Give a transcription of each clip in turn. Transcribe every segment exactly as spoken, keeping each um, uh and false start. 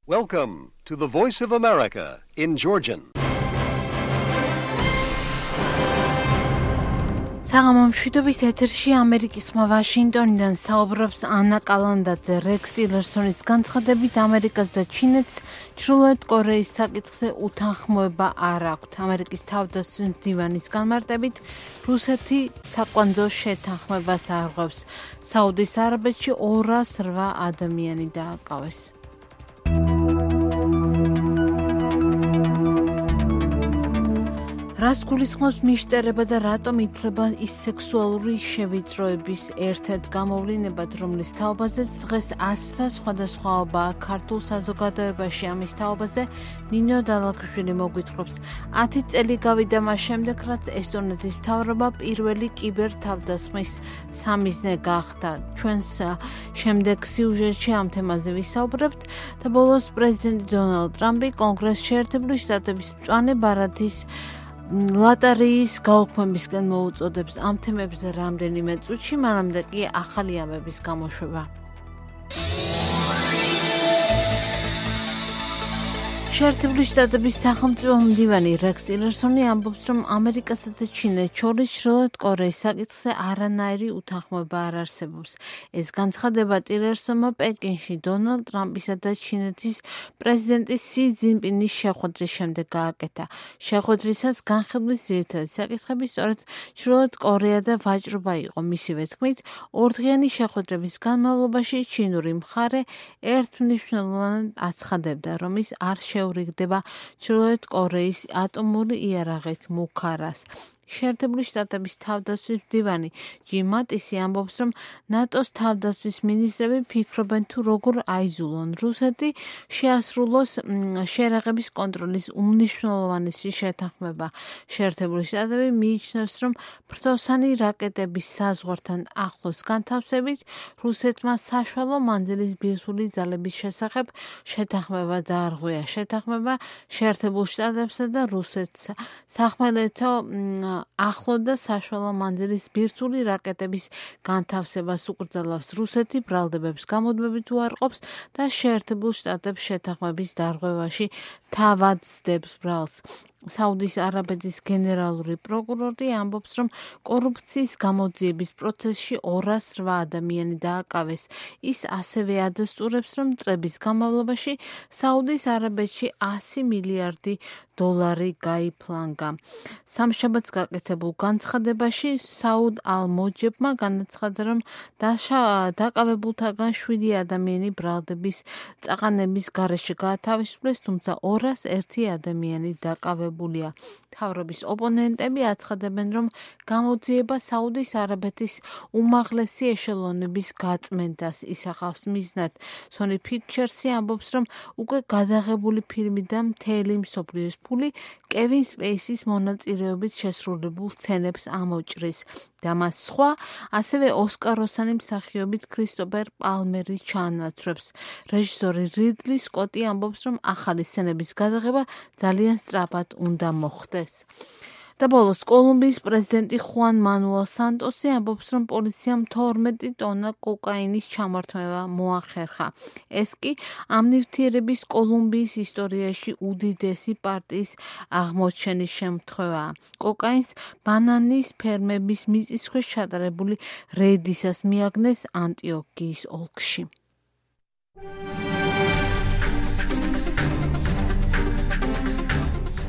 Welcome to the Voice of America in Georgian. საღამო მშვიდობის ეთერში ამერიკის ხმა ვაშინგტონიდან საუბრობს ანა კალანდაძე. რექს ტილერსონის განცხადებით ამერიკას და ჩინეთს ჩრდილოეთ კორეის საკითხზე უთანხმოება არ აქვთ. ამერიკის თავდაცვის მდივანის განმარტებით რუსეთი საკვანძო შეთანხმებას არღვევს. საუდის არაბეთში ორას რვა ადამიანი დააკავეს. რას გულისხმობს მიშტერება და რატომ ითვლება ის სექსუალური შევიწროების ერთ-ერთ გამოვლინებად, რომლის თაობაზეც დღეს ათასთა სხვადასხვაობაა ქართულ საზოგადოებაში. ამის თაობაზე ნინო დალაქვიშვილი მოგვითხრობს. ათი წელი გავიდა მას შემდეგ, რაც ესტონეთის მთავრობა პირველი კიბერთავდასხმის სამიზნე გახდა. ჩვენს შემდეგ სიუჟეტში ამ თემაზე ვისაუბრებთ და ბოლოს პრეზიდენტი დონალდ ტრამპი კონგრესში შეერთებული შტატების მწვანე ბარათის ლატარიის გაუქმებისკენ მოუწოდებს. ამ თემებზე რამდენიმე წუთში, მანამდე კი ახალი ამების გამოშვება. შეერთებული შტატების სახელმწიფო მდივანი რექს ტილერსონი ამბობს, რომ ამერიკასა და ჩინეთს შორის ჩრდილოეთ კორეის საკითხზე არანაირი უთანხმოება არ არსებობს. ეს განცხადება ტილერსონმა პეკინში დონალდ ტრამპისა და ჩინეთის პრეზიდენტის სი ძინპინის შეხვედრის შემდეგ გააკეთა. შეხვედრისას განხილვის ძირითადი საკითხები სწორედ ჩრდილოეთ კორეა და ვაჭრობა იყო. მისივე თქმით, ორდღიანი შეხვედრების განმავლობაში ჩინური მხარე ერთმნიშვნელოვნად აცხადებდა, რომ ის არ შეურიგდება ჩრდილოეთ კორეის ატომური იარაღით მუქარას. შეერთებული შტატების თავდაცვის მდივანი ჯიმ მატისი ამბობს, რომ ნატოს თავდაცვის მინისტრები ფიქრობენ თუ როგორ აიზულონ რუსეთი შეასრულოს შეერაღების კონტროლის უმნიშვნელოვანესი შეთანხმება. შეერთებული შტატები მიიჩნევს, რომ ფრთოსანი რაკეტების საზღვართან ახლოს განთავსებით რუსეთმა საშუალო მანძილის ბირთვული ძალების შესახებ შეთანხმება დაარღვია. შეთანხმება შეერთებულ შტატებსა და რუსეთს სახმელეთო ახლო და საშუალო მანძილის ბირთვული რაკეტების განთავსებას უკრძალავს. რუსეთი ბრალდებებს გამუდმებით უარყოფს და შეერთებულ შტატებს შეთანხმების დარღვევაში თავად სდებს ბრალს. საუდის არაბეთის გენერალური პროკურორი ამბობს, რომ კორუფციის გამოძიების პროცესში ორას რვა ადამიანი დააკავეს. ის ასევე ადასტურებს, რომ წლების განმავლობაში საუდის არაბეთში ასი მილიარდი დოლარი გაიფლანგა. სამშაბათს გაკეთებულ განცხადებაში საუდ ალ-მოჯებმა განაცხადა, რომ დაკავებულთაგან შვიდი ადამიანი ბრალდების წაყენების გარეშე გაათავისუფლეს, თუმცა ორას ერთი ადამიანი დაკავებულია. მთავრობის ოპონენტები აცხადებენ, რომ გამოძიება საუდის არაბეთის უმაღლესი ეშელონების გაწმენდას ისახავს მიზნად. Sony Pictures-ი ამბობს, რომ უკვე გადაღებული ფილმი და მთელი მსოფლიოს ფული კევინ სპეისის მონაწილეობით შესრულებულ სცენებს ამოჭრის და მას სხვა, ასევე ოსკაროსანი მსახიობით ქრისტოფერ პალმერი ჩაანაცვლებს. რეჟისორი რიდლი სკოტი ამბობს, რომ ახალი სცენების გადაღება ძალიან სწრაფად უნდა მოხდეს. და ბოლოს კოლუმბიის პრეზიდენტი ხუან მანუელ სანტოსი ამბობს, რომ პოლიციამ თორმეტი ტონა კოკაინის ჩამართმევა მოახერხა. ეს კი ამ ნივთიერების კოლუმბიის ისტორიაში უდიდესი პარტიის აღმოჩენის შემთხვევაა. კოკაინს ბანანის ფერმების მიწისქვეშ ჩატარებული რეიდისას მიაგნეს ანტიოქიის ოლქში.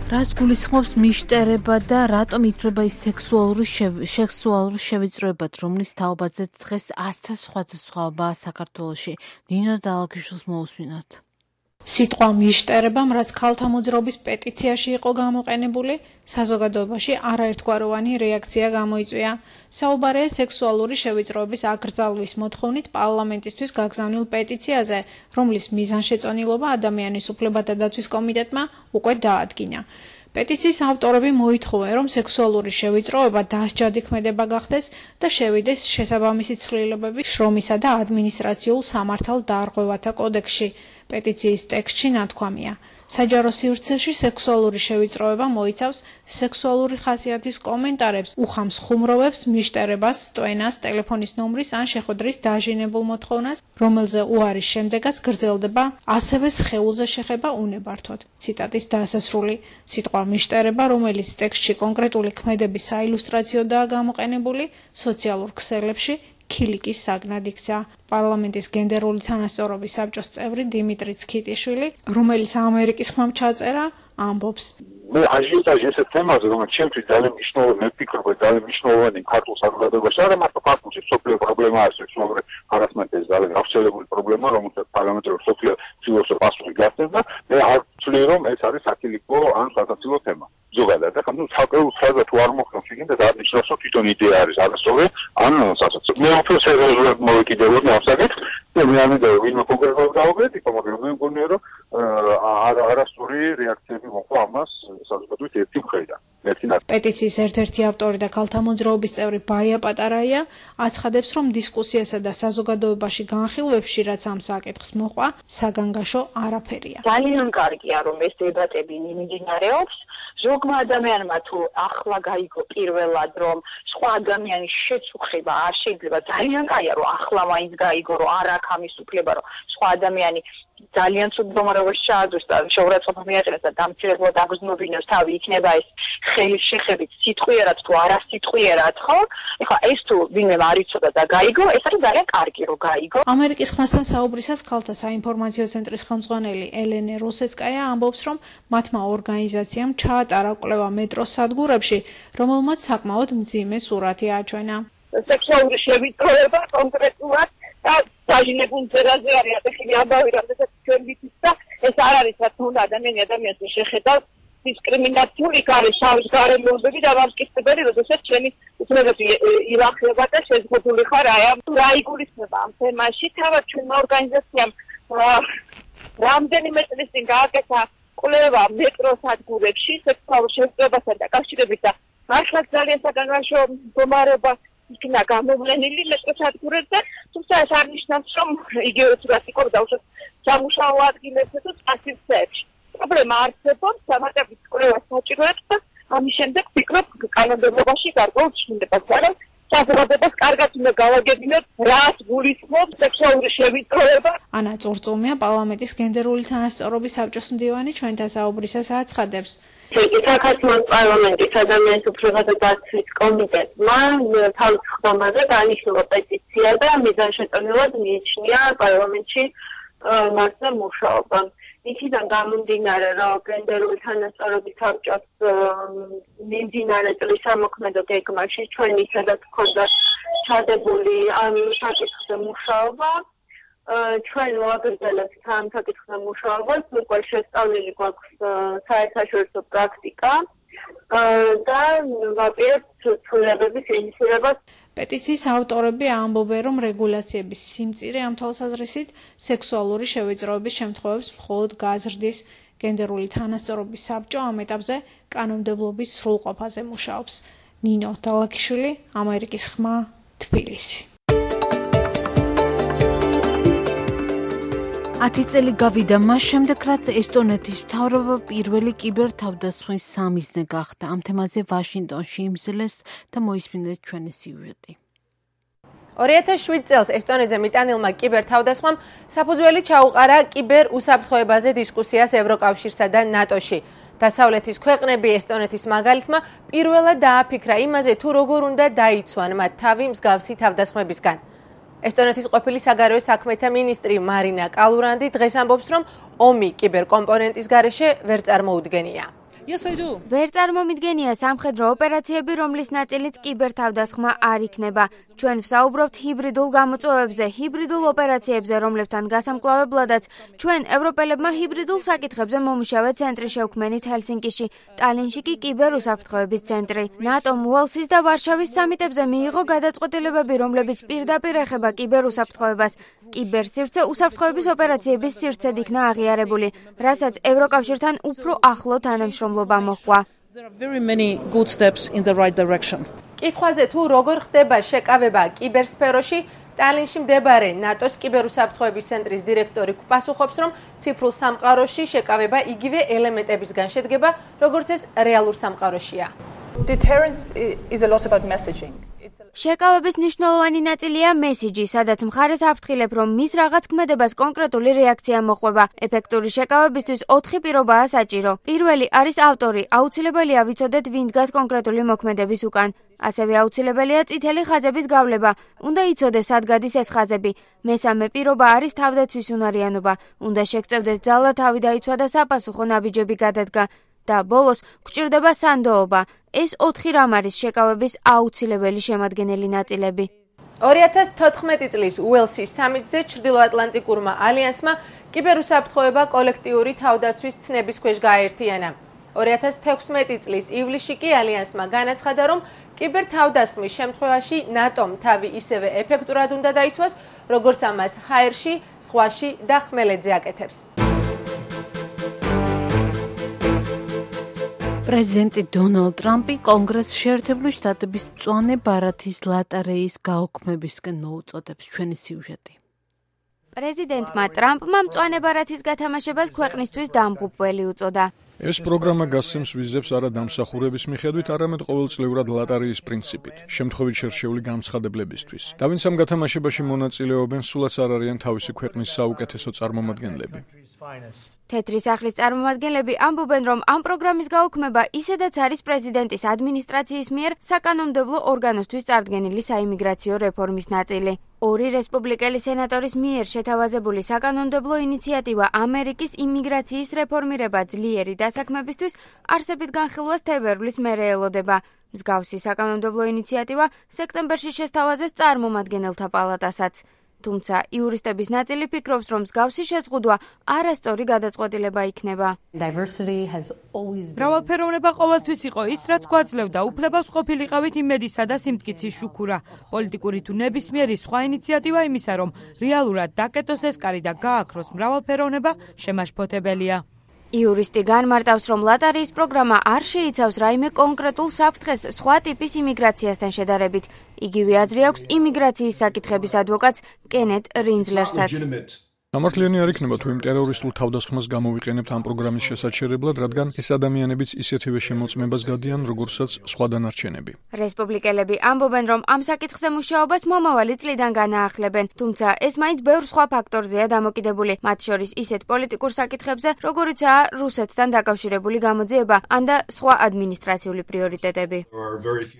რას გულისხმობს მიშტერება და რატომ ითვლება ის სექსუალური სექსუალური შევიწროებად, რომლის თაობაზეც დღეს ათასთა სხვადასხვაობაა საქართველოში. ნინო დალაქვიშვილს მოусმინოთ. სიტყვა მიშტერებამ, რაც ქალთა მოძრაობის პეტიციაში იყო გამოყენებული, საზოგადოებაში არაერთგვაროვანი რეაქცია გამოიწვია. საუბარია სექსუალური შევიწროების აკრძალვის მოთხოვნით პარლამენტისთვის გაგზავნილ პეტიციაზე, რომლის მიზანშეწონილობა ადამიანის უფლებათა დაცვის კომიტეტმა უკვე დაადგინა. პეტიციის ავტორები მოითხოვენ, რომ სექსუალური შევიწროება დასჯადი ქმედება გახდეს და შევიდეს შესაბამისი ცვლილებები შრომისა და ადმინისტრაციულ სამართალ დარღვევათა კოდექსში. პეტიციის ტექსტში ნათქვამია. საჯარო სივრცეში სექსუალური შევიწროება მოიცავს სექსუალური ხასიათის კომენტარებს, უხამს ხუმრობებს, მიშტერებას, სტვენას, ტელეფონის ნომრის ან შეხვედრის დაჟინებულ მოთხოვნას, რომელზე უარის შემდეგაც გრძელდება ასევე სხეულზე შეხება უნებართვოდ. ციტატის დასასრული. სიტყვა მიშტერება, რომელიც ტექსტში კონკრეტული ქმედების საილუსტრაციოდაა გამოყენებული, სოციალურ ქსელებში ქილიკის საგნად იქცა. პარლამენტის გენდერული თანასწორობის საბჭოს წევრი დიმიტრი ცქიტიშვილი, რომელიც ამერიკის ხმამ ჩაწერა, ამბობს. მე აჟიოტაჟი ესე თემაზე, რომელიც ჩემთვის ძალიან მნიშვნელოვანი, მე ვფიქრობ, ძალიან მნიშვნელოვანი ქართულ საზოგადოებაში, არა მარტო ქართულში, სოფლიო პრობლემაა სექსუალური ჰარასმენტის ძალიან გავრცელებული პრობლემა, რომელსაც პარლამენტური სოფლიო ცდილობს პასუხი გასცეს და მე არ ვცვლი, რომ ეს არის საქილიკო ან სასაცილო თემა. ზოგადად, ახლა ნუ საკრეულ ფრაზა თუ არ მოხდა შეგინდა და არნიშნავს, რომ თვითონ იდეა არის არასწორი, ან სასაცილო. მე უფრო სერიოზულად მოვეკიდებოდი ამ საკითხს და მე არ მინდა ვინმე კონკრეტულად გავაკეთო, მაგრამ მე მგონია, რომ არასწორი რეაქციები მოყვა ამას საზოგადოების ერთი მხრიდან. პეტიციის ერთ-ერთი ავტორი და ქალთა მოძრაობის წევრი ბაია პატარაია აცხადებს, რომ დისკუსიასა და საზოგადოებაში განხილვებში, რაც ამ საკითხს მოყვა, საგანგაშო არაფერია. ძალიან კარგია, რომ ეს დებატები მიმდინარეობს. ზოგმა ადამიანმა თუ ახლა გაიგო პირველად, რომ სხვა ადამიანის შეწუხება არ შეიძლება, ძალიან კაია, რომ ახლა მაინც გაიგო, რომ არ აქვს ამის უფლება, რომ სხვა ადამიანი ძალიან ცუდ მდგომარეობაში ჩააძვეს და შეურაცხყოფა მიაყენოს და დამცირებლად აგრძნობინოს თავი, იქნება ეს ხელის შეხებით სიტყვიერად თუ არასიტყვიერად, ხო? ეხლა ეს თუ ვინმე არ იცოდა და გაიგო, ეს არის ძალიან კარგი, რომ გაიგო. ამერიკის ხმასთან საუბრისას ქალთა საინფორმაციო ცენტრის ხელმძღვანელი ელენე როსეცკაია ამბობს, რომ მათმა ორგანიზაციამ ჩაატარა კვლევა მეტროს სადგურებში, რომელმაც საკმაოდ მძიმე სურათი აჩვენა. სექსუალური შევიწროება კონკრეტულად და დაჟინებულ ძერაზე არის ატეხილი ამბავი, რადგან ჩვენ ვიცით და ეს არ არის რაც უნდა ადამიანი ადამიანს შეხედავს დისკრიმინაციული არის თავის გარემოებები და გამსკითხებელი, როდესაც ჩვენი უცნაური ილახება და შეზღუდული ხარ აი ამ რა იგულისხმება ამ თემაში. თავად ჩვენმა ორგანიზაციამ რამდენიმე წლის წინ გააკეთა კვლევა მეტროს სადგურებში სექსუალურ შევიწროებასთან დაკავშირებით და მართლაც ძალიან საგანგაშო მდგომარეობა იქნა გამოვლენილი მეტროს სადგურებზე, თუმცა ეს არ ნიშნავს, რომ იგივე ცუდად იქნება უშუალოდ სამუშაო ადგილებსა თუ წასივრცეებში. პრობლემა არსებობს, დამატებით კვლევას საჭიროებს და ამის შემდეგ ვფიქრობ, კანონმდებლობაში გარკვეულ ცვლილებას არის. საზოგადოებას კარგად უნდა გავაგებინოთ, რაც გულისხმობს სექსუალური შევიწროება. ანა წურწუმია, პარლამენტის გენდერული თანასწორობის საბჭოს მდივანი, ჩვენთან საუბრისას აცხადებს. საქართველოს პარლამენტის ადამიანის უფლებათა დაცვის კომიტეტმა თავის ხდომაზე დანიშნულა პეტიცია და მიზანშეწონილად მიიჩნია პარლამენტში მასზე მუშაობა. იქიდან გამომდინარე, რომ გენდერული თანასწორობის საბჭოს მიმდინარე წლის სამოქმედო გეგმაში ჩვენი სადაც ჰქონდა ჩადებული ამ საკითხზე მუშაობა, ჩვენ ვაგრძელებთ ამ საკითხზე მუშაობას, უკვე შესწავლილი გვაქვს საერთაშორისო პრაქტიკა და ვაპირებთ ცვლილებების ინიციირებას. პეტიციის ავტორები ამბობენ, რომ რეგულაციების სიმწირე ამ თვალსაზრისით სექსუალური შევიწროების შემთხვევებს მხოლოდ გაზრდის. გენდერული თანასწორობის საბჭო ამ ეტაპზე კანონმდებლობის სრულყოფაზე მუშაობს. ნინო დალაქიშვილი, ამერიკის ხმა, თბილისი. ათი წელი გავიდა მას შემდეგ, რაც ესტონეთის მთავრობა პირველი კიბერთავდასხმის სამიზნე გახდა. ამ თემაზე ვაშინგტონში იმსილეს და მოისმინეთ ჩვენი სიუჟეტი. ორი ათას შვიდ წელს ესტონეთზე მიტანილმა კიბერთავდასხმამ საფუძველი ჩაუყარა კიბერ უსაფრთხოებაზე დისკუსიას ევროკავშირსა და ნატოში. დასავლეთის ქვეყნები ესტონეთის მაგალითმა პირველად დააფიქრა იმაზე, თუ როგორ უნდა დაიცვან მათ თავი მსგავსი თავდასხმებისგან. ესტონეთის ყოფილი საგარეო საქმეთა მინისტრი მარინა კალურანდი დღეს ამბობს, რომ ომი კიბერკომპონენტის გარეშე ვერ წარმოუდგენია. ვერ წარმომიდგენია სამხედრო ოპერაციები, რომლის ნაწილიც კიბერთავდასხმა არ იქნება. ჩვენ ვსაუბრობთ ჰიბრიდულ გამოწვევებზე, ჰიბრიდულ ოპერაციებზე, რომლებთან გასამკლავებლადაც ჩვენ ევროპელებმა ჰიბრიდულ საკითხებზე მომუშავე ცენტრი შევქმნით ჰელსინკიში, ტალინში კი კიბერუსაფრთხოების ცენტრი. ნატომ უელსის და ვარშავის სამიტებზე მიიღო გადაწყვეტილებები, რომლებიც პირდაპირ ეხება კიბერუსაფრთხოებას. კიბერსივრცე უსაფრთხოების ოპერაციების სივრცედ იქნა აღიარებული, რასაც ევროკავშირთან უფრო ახლო თანამშრომლობა მოჰყვა. კითხვაზე თუ როგორ ხდება შეკავება კიბერსფეროში, ტალინში მდებარე ნატოს კიბერუსაფრთხოების ცენტრის დირექტორი პასუხობს, რომ ციფრულ სამყაროში შეკავება იგივე ელემენტებისგან შედგება, როგორც ეს რეალურ სამყაროშია. Deterrence is a lot about messaging. შეკავების მნიშვნელოვანი ნაწილია მესიჯი, სადაც მხარეს აფრთხილებ, რომ მის რაღაც ქმედებას კონკრეტული რეაქცია მოყვება. ეფექტური შეკავებისთვის ოთხი პირობაა საჭირო. პირველი არის ავტორი, აუცილებელია ვიცოდეთ, ვინ დგას კონკრეტული მოქმედების უკან. ასევე აუცილებელია წითელი ხაზების გავლება. უნდა იცოდეს, სად გადის ეს ხაზები. მესამე პირობა არის თავდაცვის უნარიანობა. უნდა შეგწევდეს ძალა თავი დაიცვა და საპასუხო ნაბიჯები გადადგა. და ბოლოს გვჭირდება სანდოობა. ეს ოთხი რამ არის შეკავების აუცილებელი შემადგენელი ნაწილები. ორი ათას თოთხმეტი წლის უელსის სამიტზე ჩრდილოატლანტიკურმა ალიანსმა კიბერუსაფრთხოება კოლექტიური თავდაცვის ცნების ქვეშ გააერთიანა. ორი ათას თექვსმეტი წლის ივლისში კი ალიანსმა განაცხადა, რომ კიბერთავდასხმის შემთხვევაში ნატომ თავი ისევე ეფექტურად უნდა დაიცვას, როგორც ამას ჰაერში, ზღვაში და ხმელეთზე აკეთებს. პრეზიდენტი დონალდ ტრამპი კონგრესს შეერთებული შტატების მწვანე ბარათის ლატარეის გაუქმებისკენ მოუწოდებს. ჩვენი სიუჟეტი. პრეზიდენტმა ტრამპმა მწვანე ბარათის გათამაშებას ქვეყნისთვის დამღუპველი უწოდა. ეს პროგრამა გასცემს ვიზებს არა დამსახურების მიხედვით, არამედ ყოველწლიურად ლატარეის პრინციპით, შემთხვევით შერჩეული განცხადებლებისთვის. და ვინც ამ გათამაშებაში მონაწილეობენ, სულაც არ არიან თავისი ქვეყნის საუკეთესო წარმომადგენლები. თეთრი სახლის წარმომადგენლები ამბობენ, რომ ამ პროგრამის გაუქმება ისედაც არის პრეზიდენტის ადმინისტრაციის მიერ საკანონმდებლო ორგანოსთვის წარდგენილი საიმიგრაციო რეფორმის ნაწილი. ორი რესპუბლიკელი სენატორის მიერ შეთავაზებული საკანონმდებლო ინიციატივა ამერიკის იმიგრაციის რეფორმირება ძლიერი დასაქმებისთვის არსებით განხილვას თებერვლის მერე ელოდება. მსგავსი საკანონმდებლო ინიციატივა სექტემბერში შესთავაზეს წარმომადგენელთა პალატასაც. თუმცა იურისტების ნაწილი ფიქრობს, რომ მსგავსი შეზღუდვა არასწორი გადაწყვეტილება იქნება. მრავალფეროვნება ყოველთვის იყო ის, რაც გვაძლევდა უფლებას ყოფილიყავით იმედისა და სიმტკიცის შუქურა. პოლიტიკური თუ ნებისმიერი სხვა ინიციატივა იმისა, რომ რეალურად დაკეტოს ეს კარი და გააქროს მრავალფეროვნება, შემაშფოთებელია. იურისტი განმარტავს, რომ ლატარიის პროგრამა არ შეიცავს რაიმე კონკრეტულ საფრთხეს სხვა ტიპის იმიგრაციასთან შედარებით. იგივე აზრი აქვს იმიგრაციის საკითხების ადვოკატს კენეთ რინძლერსაც. სამართლიანი არ იქნება თუ იმ ტერორისტულ თავდასხმას გამოვიყენებთ ამ პროგრამის შესაჩერებლად, რადგან ეს ადამიანებიც ისეთივე შემოწმებას გადიან, როგორცაც სხვა დანარჩენები. რესპუბლიკელები ამბობენ, რომ ამ საკითხზე მუშაობას მომავალი წლიდან განაახლებენ, თუმცა ეს მაინც ბევრ სხვა ფაქტორზეა დამოკიდებული, მათ შორის ისეთ პოლიტიკურ საკითხებზე, როგორიცაა რუსეთთან დაკავშირებული გამოძიება, ან და სხვა ადმინისტრაციული პრიორიტეტები.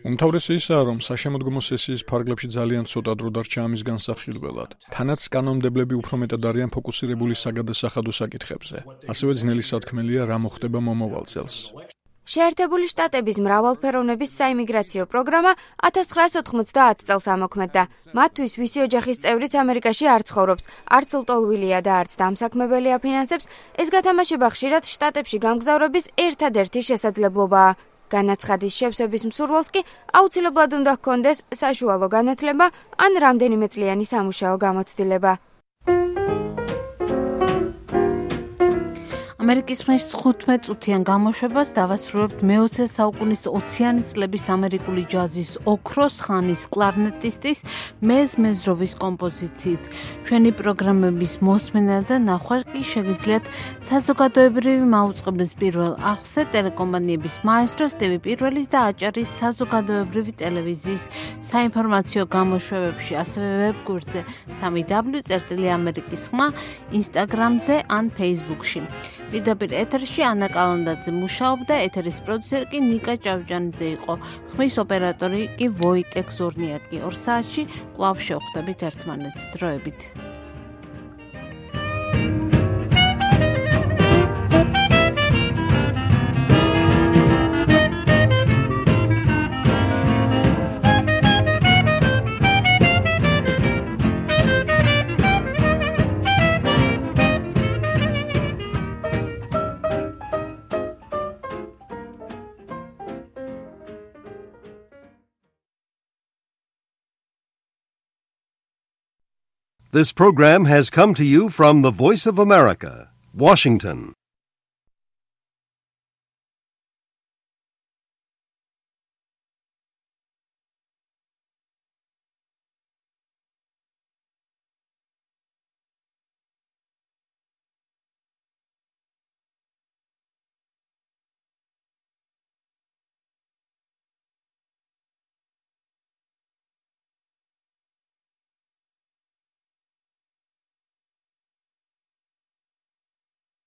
უმთავრესი ისაა, რომ საშემოდგომო სესიის ფარგლებში ძალიან ცოტა დრო დარჩა ამის განსახილველად. თანაც კანონმდებლები უფრო მეტად არიან ფოკუსირებული საგადასახადო საკითხებზე. ასევე ძნელი სათქმელია, რა მოხდება მომავალ წელს. შეერთებული შტატების მრავალფეროვნების საიმიგრაციო პროგრამა ათას ცხრაასი ოთხმოცდაათი წელს ამოქმედდა. მათთვის ვისი ოჯახის წევრიც ამერიკაში არ ცხოვრობს, არც ლტოლვილია და არც დამსაქმებელი აფინანსებს, ეს გათამაშება ხშირად შტატებში გამგზავრების ერთადერთი შესაძლებლობაა. განაცხადის შევსების მსურველს კი აუცილებლად უნდა ჰქონდეს საშუალო განათლება ან რამდენიმე წლიანი სამუშაო გამოცდილება. ამერიკის ხმის თხუთმეტ წუთიან გამოშვებას დავასრულებთ მეოცე საუკუნის ოციანი წლების ამერიკული ჯაზის ოქროს ხანის კლარნეტისტის მეზ მეზროვის კომპოზიციით. ჩვენი პროგრამების მოსმენა და ნახვა კი შეგიძლიათ საზოგადოებრივი მაუწყებლის პირველ არხზე ტელეკომპანიების მაესტროს ტივი პირველის და აჭარის საზოგადოებრივი ტელევიზიის საინფორმაციო გამოშვებებში, ასევე ვებგვერდზე სამი დაბლიუ წერტილი ამერიკის ხმა, ინსტაგრამზე ან ფეისბუქში. პირდაპირ ეთერში ანა კალანდაძე მუშაობდა, ეთერის პროდიუსერი კი ნიკა ჭავჭანიძე იყო, ხმის ოპერატორი კი ვოიტეკ ზორნიატკი. ორ საათში კვლავ შევხვდებით ერთმანეთს. დროებით. This program has come to you from the Voice of America, Washington.